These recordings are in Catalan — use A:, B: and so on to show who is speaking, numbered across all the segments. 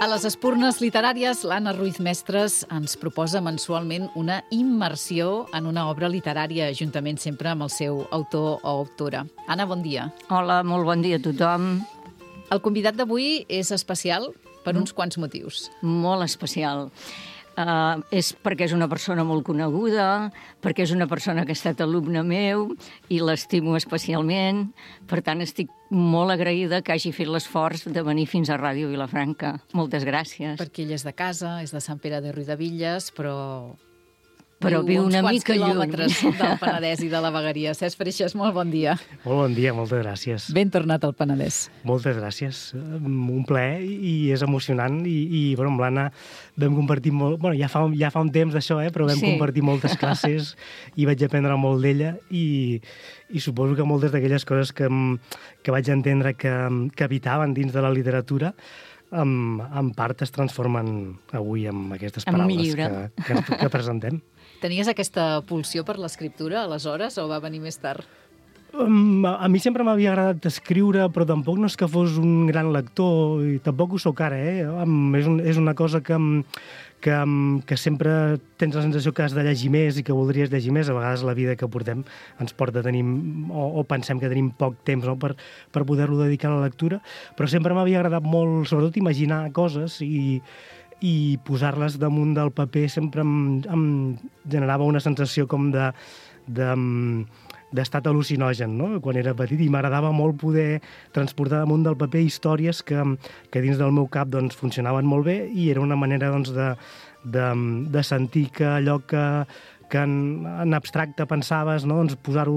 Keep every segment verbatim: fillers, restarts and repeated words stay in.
A: A les espurnes literàries, l'Anna Ruiz Mestres ens proposa mensualment una immersió en una obra literària, juntament sempre amb el seu autor o autora. Anna, bon dia.
B: Hola, molt bon dia a tothom.
A: El convidat d'avui és especial per uns quants motius.
B: Molt especial. Uh, és perquè és una persona molt coneguda, perquè és una persona que ha estat alumne meu i l'estimo especialment. Per tant, estic molt agraïda que hagi fet l'esforç de venir fins a Ràdio Vilafranca. Moltes gràcies.
A: Perquè ell és de casa, és de Sant Pere de Riudebitlles, però...
B: Però viu una mica lluny.
A: Uns quants quilòmetres del Penedès i de la Vegueria. Cesc Freixas, molt bon dia.
C: Molt bon dia, moltes gràcies.
A: Ben tornat al Penedès.
C: Moltes gràcies. Un plaer i és emocionant. I, i bueno, amb l'Anna vam compartir molt... Bueno, ja fa, ja fa un temps d'això, eh? Però vam sí. compartir moltes classes i vaig aprendre molt d'ella i, i suposo que moltes d'aquelles coses que, que vaig entendre que, que habitaven dins de la literatura en, en part es transformen avui en aquestes paraules que, que, que presentem.
A: Tenies aquesta pulsió per l'escriptura, aleshores, o va venir més tard?
C: Um, a, a mi sempre m'havia agradat escriure, però tampoc no és que fos un gran lector, i tampoc ho soc ara, eh? Um, és, un, és una cosa que, que, que sempre tens la sensació que has de llegir més i que voldries llegir més. A vegades la vida que portem ens porta a tenir, o, o pensem que tenim poc temps, no? per, per poder-lo dedicar a la lectura, però sempre m'havia agradat molt, sobretot, imaginar coses i i posar-les damunt del paper sempre em, em generava una sensació com de, de, d'estat al·lucinogen, no? Quan era petit, i m'agradava molt poder transportar damunt del paper històries que, que dins del meu cap doncs, funcionaven molt bé i era una manera doncs, de, de, de sentir que allò que, que en, en abstracte pensaves, no? doncs posar-ho,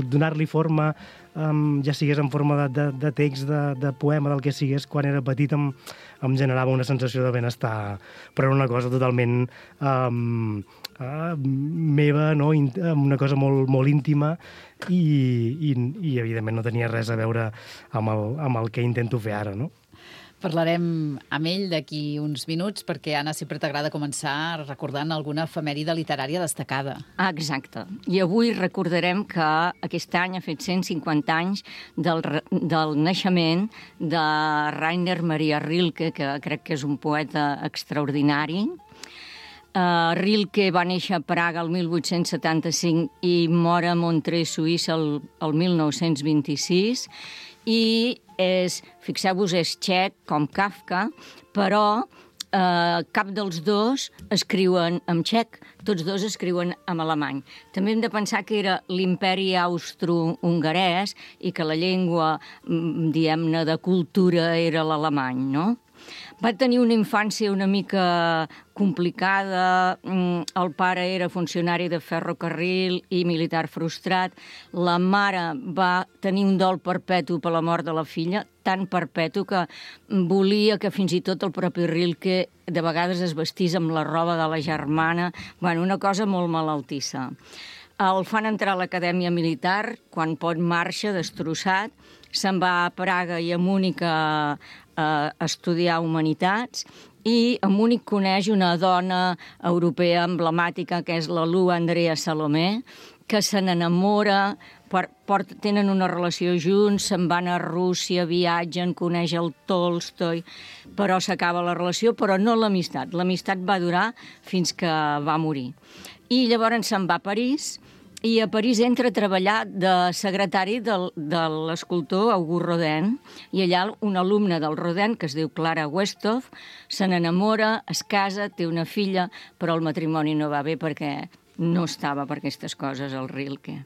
C: donar-li forma, um, ja sigués en forma de, de, de text, de, de poema, del que sigués, quan era petit em, em generava una sensació de benestar, però era una cosa totalment um, uh, meva, no? Una cosa molt, molt íntima i, i, i evidentment no tenia res a veure amb el, amb el que intento fer ara, no?
A: Parlarem amb ell d'aquí uns minuts, perquè, Anna, sempre t'agrada començar recordant alguna efemèride literària destacada.
B: Ah, exacte. I avui recordarem que aquest any ha fet cent cinquanta anys del, del naixement de Rainer Maria Rilke, que crec que és un poeta extraordinari. Uh, Rilke va néixer a Praga el mil vuit-cents setanta-cinc i mor a Montreux, Suïssa, el, el mil nou-cents vint-i-sis, i és, fixeu-vos, és txec, com Kafka, però eh, cap dels dos escriuen en txec, tots dos escriuen en alemany. També hem de pensar que era l'imperi austro-hongarès i que la llengua, diguem-ne, de cultura era l'alemany, no? Va tenir una infància una mica complicada. El pare era funcionari de ferrocarril i militar frustrat. La mare va tenir un dol perpetu per la mort de la filla, tan perpetu que volia que fins i tot el propi Rilke de vegades es vestís amb la roba de la germana. Bueno, una cosa molt malaltissa. El fan entrar a l'acadèmia militar, quan pot marxa, destrossat. Se'n va a Praga i a Múnich a, a estudiar humanitats i a Múnich coneix una dona europea emblemàtica que és la Lu Andrea Salomé, que se n'enamora, tenen una relació junts, se'n van a Rússia, viatgen, coneix el Tolstoi, però s'acaba la relació, però no l'amistat. L'amistat va durar fins que va morir. I llavors se'n va a París, i a París entra a treballar de secretari del, de l'escultor Auguste Rodin, i allà un alumne del Rodin, que es diu Clara Westhoff, se n'enamora, es casa, té una filla, però el matrimoni no va bé perquè no estava per aquestes coses, el Rilke.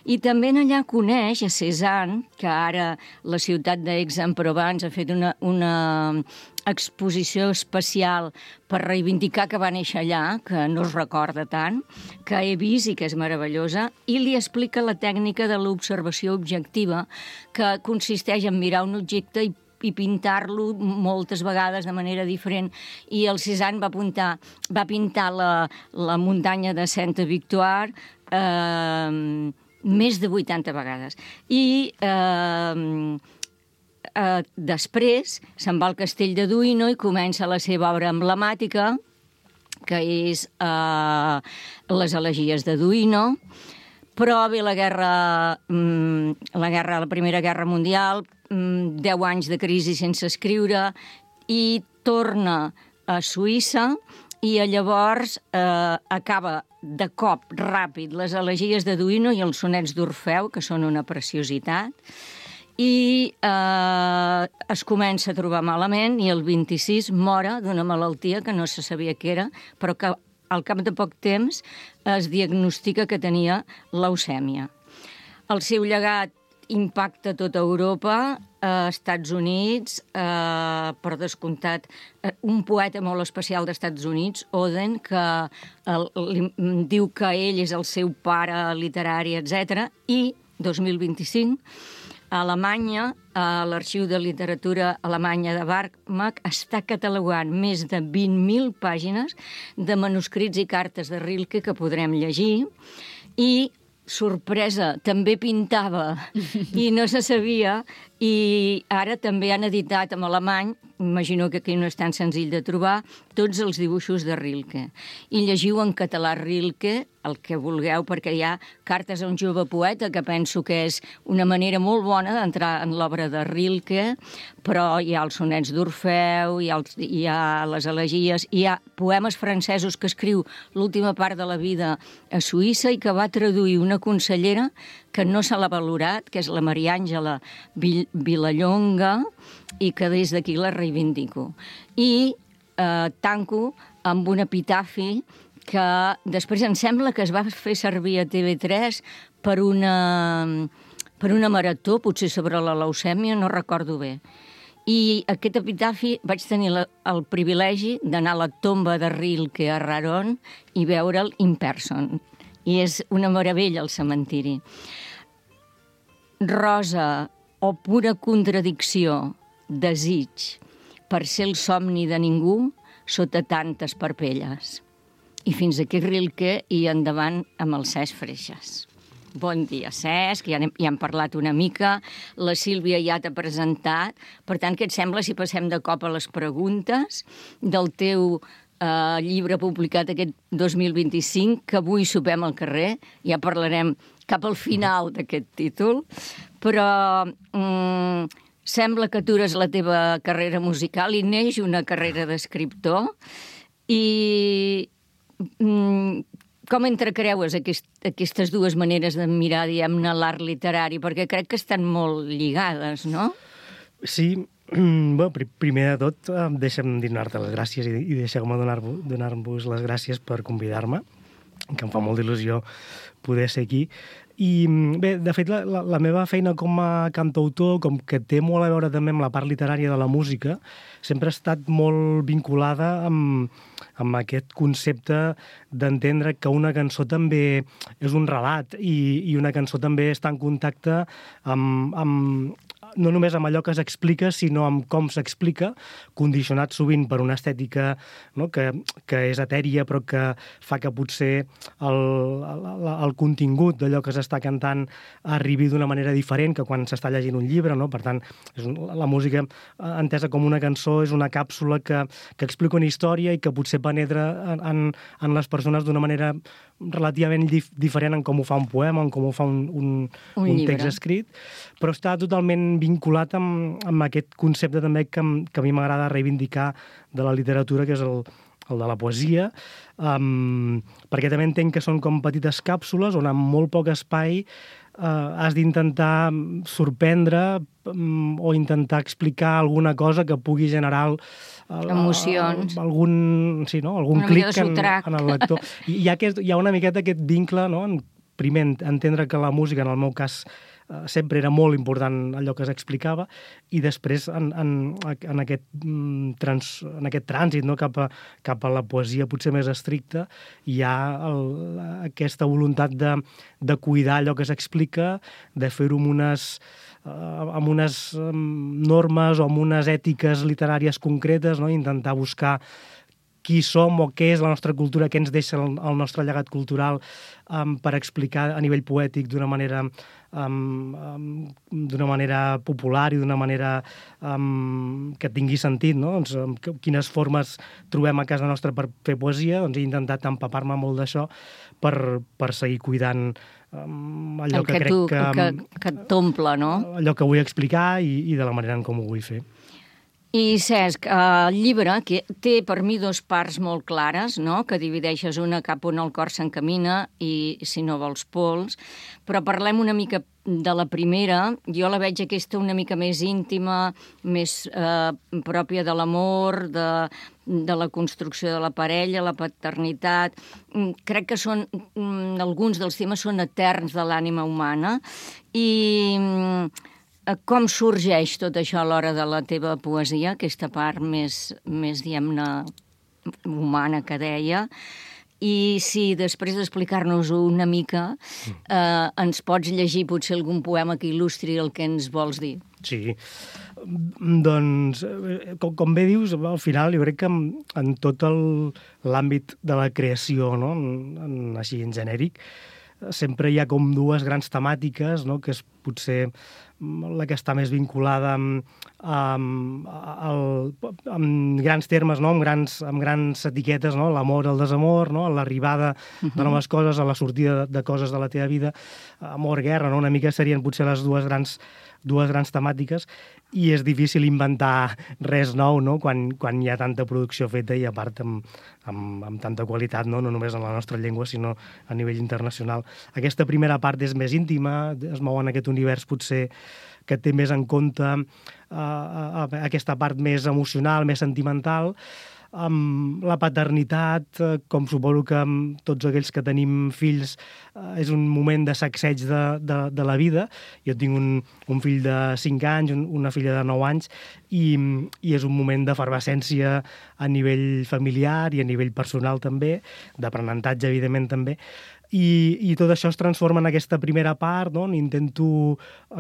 B: I també allà coneix a Cézanne, que ara la ciutat d'Aix-en-Provence ha fet una, una exposició especial per reivindicar que va néixer allà, que no es recorda tant, que he vist i que és meravellosa, i li explica la tècnica de l'observació objectiva, que consisteix en mirar un objecte i i pintar-lo moltes vegades de manera diferent. I el Cézanne va, apuntar, va pintar la, la muntanya de Sainte-Victoire eh, més de vuitanta vegades. I eh, eh, després se'n va al castell de Duino i comença la seva obra emblemàtica, que és eh, les elegies de Duino. Però ve la guerra, la guerra, la Primera Guerra Mundial, deu anys de crisi sense escriure, i torna a Suïssa i llavors eh, acaba de cop ràpid les elegies de Duino i els sonets d'Orfeu, que són una preciositat, i eh, es comença a trobar malament i el vint-i-sis mora d'una malaltia que no se sabia què era, però que al cap de poc temps es diagnostica que tenia leucèmia. El seu llegat impacta tota Europa, a Estats Units, eh, per descomptat, eh, un poeta molt especial dels Estats Units, Oden, que el, li, diu que ell és el seu pare literari, etcètera. I, dos mil vint-i-cinc, a Alemanya, a l'Arxiu de Literatura Alemanya de Barmach, està catalogant més de vint mil pàgines de manuscrits i cartes de Rilke que podrem llegir, i sorpresa, també pintava i no se sabia, i ara també han editat en alemany, imagino que aquí no és tan senzill de trobar, tots els dibuixos de Rilke. I llegiu en català Rilke, el que vulgueu, perquè hi ha Cartes a un jove poeta, que penso que és una manera molt bona d'entrar en l'obra de Rilke, però hi ha els sonets d'Orfeu, hi ha, els, hi ha les elegies, hi ha poemes francesos que escriu l'última part de la vida a Suïssa i que va traduir una consellera que no se l'ha valorat, que és la Maria Àngela Vilallonga, i que des d'aquí la reivindico. I eh, tanco amb un epitafi que després em sembla que es va fer servir a T V tres per una, per una marató, potser sobre la leucèmia, no recordo bé. I aquest epitafi vaig tenir la, el privilegi d'anar a la tomba de Rilke a Raron i veure'l in person. I és una meravella el cementiri. Rosa, o pura contradicció, desig, per ser el somni de ningú sota tantes parpelles. I fins aquí Rilke i endavant amb el Cesc Freixas. Bon dia, Cesc, ja, ja hem parlat una mica, la Sílvia ja t'ha presentat, per tant, què et sembla si passem de cop a les preguntes del teu eh, llibre publicat aquest dos mil vint-i-cinc, que avui sopem al carrer, ja parlarem cap al final d'aquest títol, però mm, sembla que atures la teva carrera musical i neix una carrera d'escriptor, i mm, com entrecreues aquest, aquestes dues maneres de mirar, diguem-ne, l'art literari? Perquè crec que estan molt lligades, no?
C: Sí, bueno, primer de tot, deixa'm donar-te les gràcies i, i deixeu-me donar-vos donar-vos les gràcies per convidar-me, que em fa molt d'il·lusió poder ser aquí. I bé, de fet, la, la, la meva feina com a cantautor, com que té molt a veure també amb la part literària de la música, sempre ha estat molt vinculada amb, amb aquest concepte d'entendre que una cançó també és un relat i, i una cançó també està en contacte amb, amb no només amb allò que s'explica, sinó amb com s'explica, condicionat sovint per una estètica, no, que, que és etèria, però que fa que potser el, el, el contingut d'allò que s'està cantant arribi d'una manera diferent que quan s'està llegint un llibre, no? Per tant, és un, la música entesa com una cançó és una càpsula que, que explica una història i que potser penetra en, en, en les persones d'una manera relativament dif diferent en com ho fa un poema, en com ho fa un, un, un, un text escrit, però està totalment vinculat amb, amb aquest concepte també que, que a mi m'agrada reivindicar de la literatura, que és el, el de la poesia, um, perquè també entenc que són com petites càpsules on amb molt poc espai uh, has d'intentar sorprendre um, o intentar explicar alguna cosa que pugui generar el, el,
B: emocions,
C: el, algun, sí, no? algun clic en, en el lector. I hi ha, aquest, hi ha una miqueta aquest vincle, no? En, primer, entendre que la música, en el meu cas, sempre era molt important allò que s'explicava, i després en, en, en, aquest, trans, en aquest trànsit, no? cap, a, cap a la poesia potser més estricta, hi ha el, aquesta voluntat de, de cuidar allò que s'explica, de fer-ho amb unes, amb unes normes o amb unes ètiques literàries concretes, no? Intentar buscar qui som o què és la nostra cultura, què ens deixa el, el nostre llegat cultural, um, per explicar a nivell poètic d'una manera, um, um, d'una manera popular i d'una manera um, que tingui sentit, no? Doncs, um, quines formes trobem a casa nostra per fer poesia, doncs he intentat empapar-me molt d'això per, per seguir cuidant um, allò
B: el
C: que,
B: que
C: crec
B: tu,
C: que...
B: que, que t'omple, no?
C: Allò que vull explicar i, i de la manera en com ho vull fer.
B: I, Cesc, el llibre que té per mi dos parts molt clares, no? Que divideixes una cap on el cor s'encamina i, si no vols, pols, però parlem una mica de la primera. Jo la veig aquesta una mica més íntima, més eh, pròpia de l'amor, de, de la construcció de la parella, la paternitat. Crec que són, alguns dels temes són eterns de l'ànima humana i com sorgeix tot això a l'hora de la teva poesia, aquesta part més, més diguem-ne, humana que deia, i si després d'explicar-nos una mica eh, ens pots llegir potser algun poema que il·lustri el que ens vols dir.
C: Sí, doncs, com, com bé dius, al final jo crec que en, en tot l'àmbit de la creació, no? en, en, així en genèric, sempre hi ha com dues grans temàtiques, no? Que és potser la que està més vinculada amb, amb, amb, amb grans termes, no? amb, grans, amb grans etiquetes, no? L'amor, el desamor, no? L'arribada de noves coses, a la sortida de, de coses de la teva vida, amor, guerra, no? Una mica serien potser les dues grans dues grans temàtiques, i és difícil inventar res nou, no? quan, quan hi ha tanta producció feta i a part amb, amb, amb tanta qualitat, no? No només en la nostra llengua, sinó a nivell internacional. Aquesta primera part és més íntima, es mou en aquest univers potser que té més en compte uh, aquesta part més emocional, més sentimental, amb la paternitat, com suposo que amb tots aquells que tenim fills és un moment de sacseig de, de, de la vida. Jo tinc un, un fill de cinc anys, un, una filla de nou anys, i, i és un moment d'efervescència a nivell familiar i a nivell personal també, d'aprenentatge, evidentment, també. I, i tot això es transforma en aquesta primera part, no? Intento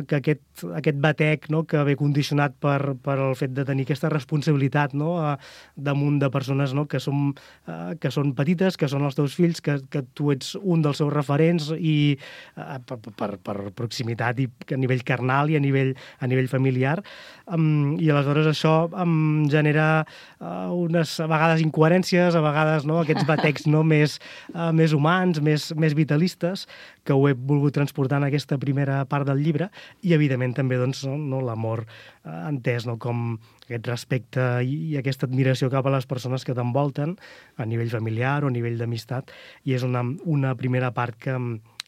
C: que aquest, aquest batec, no? Que ve condicionat per, per el fet de tenir aquesta responsabilitat, no? A, damunt de persones, no? que, som, uh, que són petites, que són els teus fills, que, que tu ets un dels seus referents i uh, per, per, per proximitat i a nivell carnal i a nivell, a nivell familiar. Um, I aleshores això em genera uh, unes, a vegades, incoherències, a vegades, no? Aquests batecs, no? més, uh, més humans, més més vitalistes, que ho he volgut transportar en aquesta primera part del llibre, i evidentment també doncs, no, l'amor eh, entès, no, com aquest respecte i, i aquesta admiració cap a les persones que t'envolten a nivell familiar o a nivell d'amistat, i és una, una primera part que,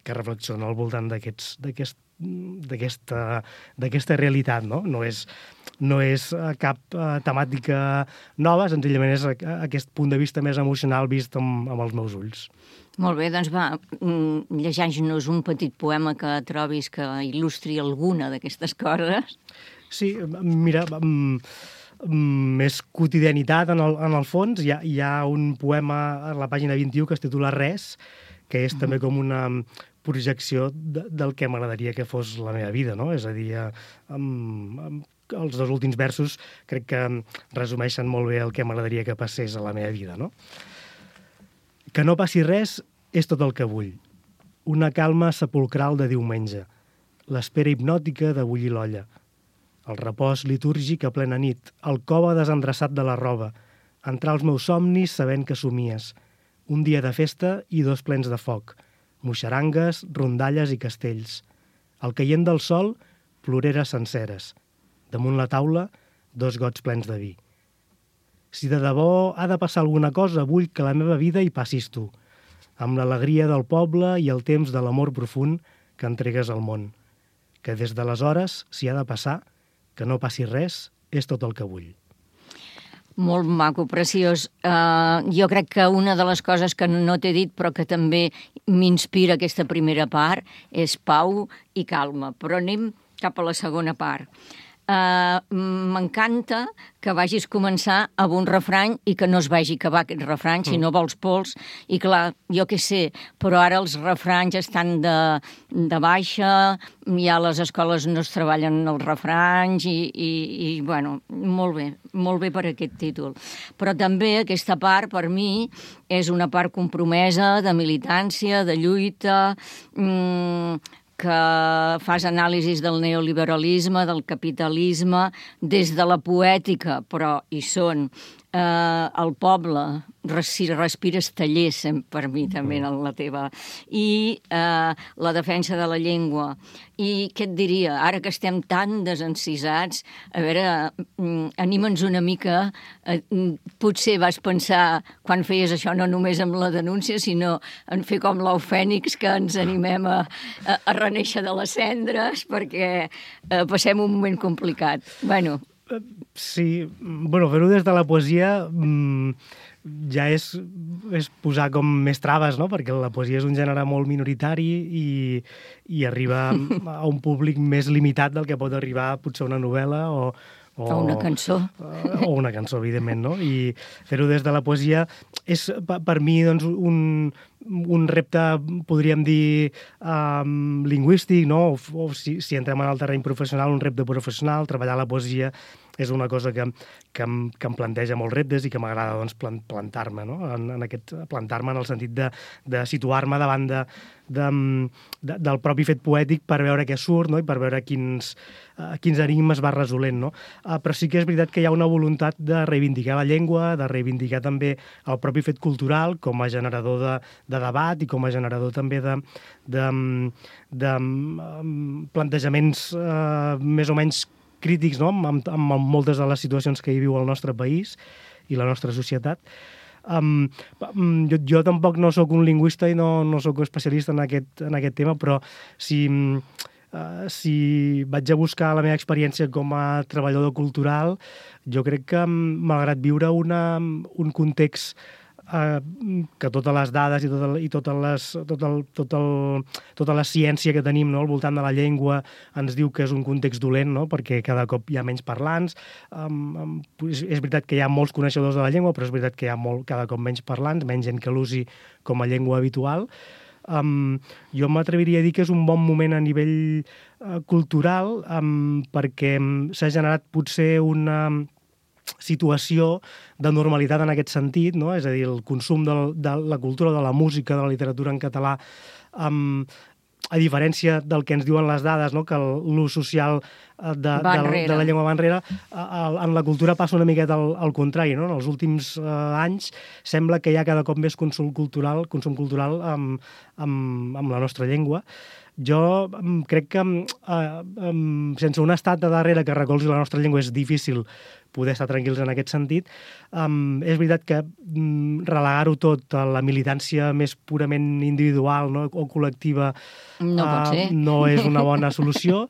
C: que reflexiona al voltant d'aquests d'aquest d'aquesta d'aquesta realitat, no? No és, no és cap uh, temàtica nova, senzillament és aquest punt de vista més emocional vist amb, amb els meus ulls.
B: Molt bé, doncs va, llegeix-nos un petit poema que trobis que il·lustri alguna d'aquestes coses.
C: Sí, mira, més quotidianitat en el, en el fons. Hi ha, hi ha un poema a la pàgina vint-i-u que es titula Res, que és uh-huh. també com una projecció de, del que m'agradaria que fos la meva vida, no? És a dir, amb, amb els dos últims versos crec que resumeixen molt bé el que m'agradaria que passés a la meva vida, no? Que no passi res és tot el que vull. Una calma sepulcral de diumenge, l'espera hipnòtica de bullir l'olla, el repòs litúrgic a plena nit, el cove desendreçat de la roba, entrar als meus somnis sabent que somies, un dia de festa i dos plens de foc, moixarangues, rondalles i castells. Al caient del sol, ploreres senceres. Damunt la taula, dos gots plens de vi. Si de debò ha de passar alguna cosa, vull que la meva vida hi passis tu, amb l'alegria del poble i el temps de l'amor profund que entregues al món. Que des d'aleshores, si ha de passar, que no passi res, és tot el que vull.
B: Molt maco, preciós. Uh, jo crec que una de les coses que no t'he dit, però que també m'inspira aquesta primera part, és pau i calma. Però anem cap a la segona part. Uh, m'encanta que vagis començar amb un refrany i que no es vagi acabar aquest refrany, si no vols pols. I clar, jo què sé, però ara els refranys estan de, de baixa, ja a les escoles no es treballen els refranys i, i, i bueno, molt bé, molt bé per aquest títol. Però també aquesta part, per mi, és una part compromesa de militància, de lluita, mmm, que fas anàlisis del neoliberalisme, del capitalisme, des de la poètica, però hi són eh, el poble, si respires tallers, per mi també, en la teva, i eh, la defensa de la llengua. I què et diria? Ara que estem tan desencisats, a veure, anima'ns una mica. Eh, potser vas pensar, quan feies això, no només amb la denúncia, sinó en fer com l'ou fènix, que ens animem a, a, a reneixer de les cendres, perquè eh, passem un moment complicat. Bueno,
C: sí, bueno, fer-ho des de la poesia mmm, ja és, és posar com més traves, no? Perquè la poesia és un gènere molt minoritari i, i arriba a un públic més limitat del que pot arribar potser una novel·la o, o,
B: o una cançó.
C: O una cançó, evidentment, no? I fer-ho des de la poesia és, per mi, doncs, un, un repte, podríem dir, um, lingüístic, no? O, o si, si entrem en el terreny professional, un repte professional, treballar la poesia és una cosa que, que, em, que em planteja molts reptes i que m'agrada, doncs, plantar-me, no? En, en aquest, plantar-me en el sentit de, de situar-me davant de, de, de, del propi fet poètic per veure què surt, no? I per veure quins, uh, quins enigmes va resolent, no? Uh, però sí que és veritat que hi ha una voluntat de reivindicar la llengua, de reivindicar també el propi fet cultural com a generador de, de debat i com a generador també de, de, de, de um, plantejaments uh, més o menys crítics, no? amb, amb moltes de les situacions que hi viu el nostre país i la nostra societat. Um, jo, jo tampoc no sóc un lingüista i no, no sóc especialista en aquest, en aquest tema, però si, uh, si vaig a buscar la meva experiència com a treballador cultural, jo crec que, malgrat viure una, un context Uh, que totes les dades i, tot el, i totes les, tot el, tot el, tota la ciència que tenim, no, al voltant de la llengua ens diu que és un context dolent, no, perquè cada cop hi ha menys parlants. Um, um, és, és veritat que hi ha molts coneixedors de la llengua, però és veritat que hi ha molt, cada cop menys parlants, menys gent que l'usi com a llengua habitual. Um, jo m'atreviria a dir que és un bon moment a nivell uh, cultural um, perquè um, s'ha generat potser una situació de normalitat en aquest sentit, no? És a dir, el consum de, de la cultura, de la música, de la literatura en català, um, a diferència del que ens diuen les dades, no? Que l'ús social de, de, de la llengua va enrere, en la cultura passa una miqueta al, al contrari, no? En els últims uh, anys sembla que hi ha cada cop més consum cultural, consum cultural amb, amb, amb la nostra llengua. Jo um, crec que uh, um, sense un estat de darrere que recolzi la nostra llengua és difícil poder estar tranquils en aquest sentit. Um, és veritat que um, relegar-ho tot a la militància més purament individual, no? O col·lectiva
B: no, uh,
C: no és una bona solució,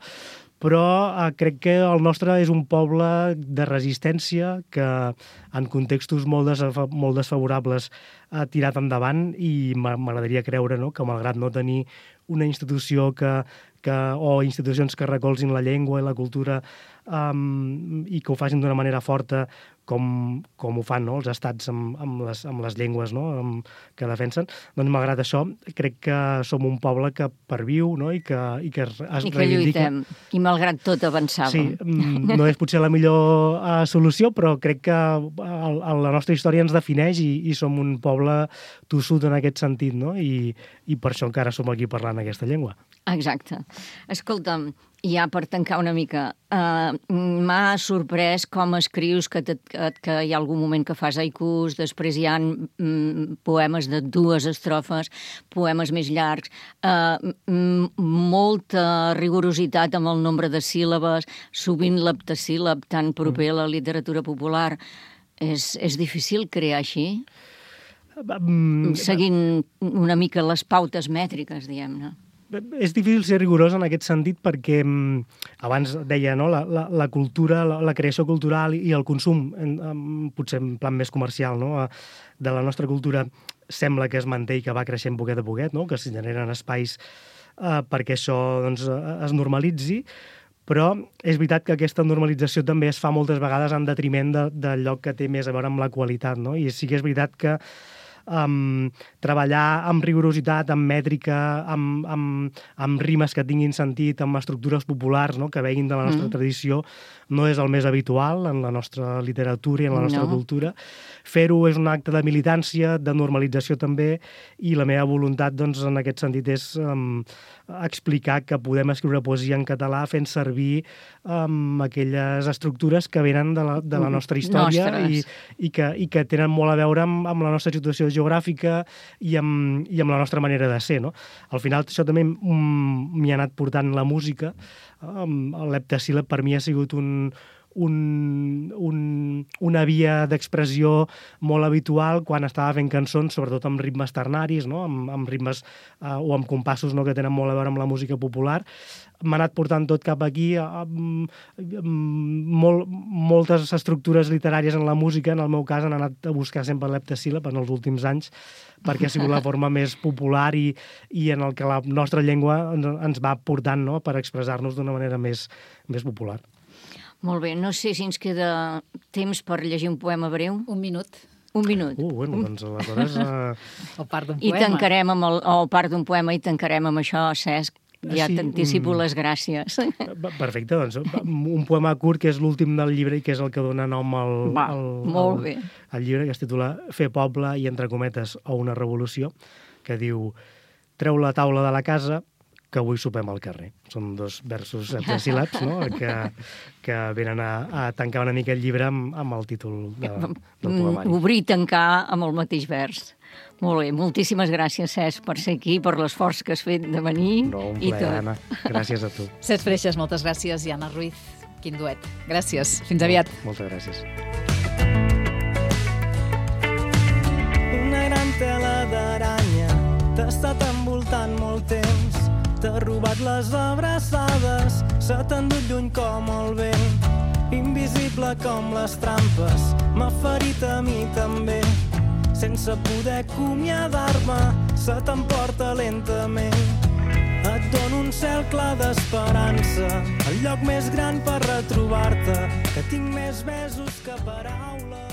C: però uh, crec que el nostre és un poble de resistència que en contextos molt, desfa molt desfavorables ha tirat endavant i m'agradaria creure, no? Que malgrat no tenir una institució que, que, o institucions que recolzin la llengua i la cultura um, i que ho facin d'una manera forta com, com ho fan, no? Els estats amb, amb, les, amb les llengües, no? Amb, que defensen, doncs malgrat això crec que som un poble que perviu, no? I que, i que es
B: I que
C: reivindica.
B: lluitem, i malgrat tot avançàvem.
C: Sí, no és potser la millor uh, solució, però crec que el, el, la nostra història ens defineix i, i som un poble tossut en aquest sentit, no? I, i per això encara som aquí parlant aquesta llengua.
B: Exacte. Escolta'm, ja per tancar una mica, uh, m'ha sorprès com escrius que, te, que, que hi ha algun moment que fas haikus, després hi ha mm, poemes de dues estrofes, poemes més llargs, uh, molta rigorositat amb el nombre de síl·labes, sovint l'heptasíl·lab tan proper a la literatura popular. És, és difícil crear així? Mm, seguint una mica les pautes mètriques, diguem-ne.
C: És difícil ser rigorós en aquest sentit perquè abans deia, no? la, la, la cultura, la, la creació cultural i el consum, en, en, potser en plan més comercial, no? De la nostra cultura sembla que es manté i que va creixent poquet a poquet, no? Que s'hi generen espais eh, perquè això doncs, es normalitzi, però és veritat que aquesta normalització també es fa moltes vegades en detriment de, del lloc que té més a veure amb la qualitat, no? I sí que és veritat que Um, treballar amb rigorositat, amb mètrica, amb, amb, amb rimes que tinguin sentit, amb estructures populars, no? Que veguin de la nostra mm. tradició, no és el més habitual en la nostra literatura i en la nostra no. cultura. Fer-ho és un acte de militància, de normalització també, i la meva voluntat doncs, en aquest sentit és um, explicar que podem escriure poesia en català fent servir um, aquelles estructures que venen de la, de la nostra història i, i, que, i que tenen molt a veure amb, amb la nostra situació geogràfica i amb, i amb la nostra manera de ser, no? Al final, això també m'hi ha anat portant la música. Um, l'heptasíl·lab per mi ha sigut un... Un, un, una via d'expressió molt habitual quan estava fent cançons, sobretot amb ritmes ternaris, no? amb, amb ritmes uh, o amb compassos, no? que tenen molt a veure amb la música popular. M'ha anat portant tot cap aquí, amb, amb molt, moltes estructures literàries en la música, en el meu cas han anat a buscar sempre l'heptasíl·lab en els últims anys, perquè ha sigut la forma més popular i, i en el que la nostra llengua ens, ens va portant, no? per expressar-nos d'una manera més, més popular.
B: Molt bé, no sé si ens queda temps per llegir un poema breu.
A: Un minut.
B: Un minut.
C: Uh, bueno, doncs aleshores... Uh...
A: El part d'un
B: I
A: poema.
B: tancarem amb el, o part d'un poema i tancarem amb això, Cesc. Ja
C: Sí,
B: t'anticipo
C: mm.
B: les gràcies.
C: Perfecte, doncs un poema curt que és l'últim del llibre i que és el que dona nom al,
B: Va,
C: al,
B: molt
C: al,
B: bé.
C: al llibre, que es titula Fer poble i entre cometes o una revolució, que diu: treu la taula de la casa, que avui sopem al carrer. Són dos versos heptasíl·labs, no? que, que venen a, a tancar una mica el llibre amb, amb el títol de, del poemari.
B: Obrir i tancar amb el mateix vers. Molt bé, moltíssimes gràcies, Cesc, per ser aquí, per l'esforç que has fet de venir.
C: No, un
B: i
C: plaer,
B: tot.
C: Anna. Gràcies a tu.
A: Cesc Freixas, moltes gràcies, i Anna Ruiz, quin duet. Gràcies, fins aviat.
C: Moltes gràcies.
D: Una gran tela d'aranya t'ha estat envoltant molt temps. T'ha robat les abraçades, se t'ha endut lluny com el vent. Invisible com les trampes, m'ha ferit a mi també. Sense poder acomiadar-me, se t'emporta lentament. Et dono un cel clar d'esperança, el lloc més gran per retrobar-te, que tinc més besos que paraules.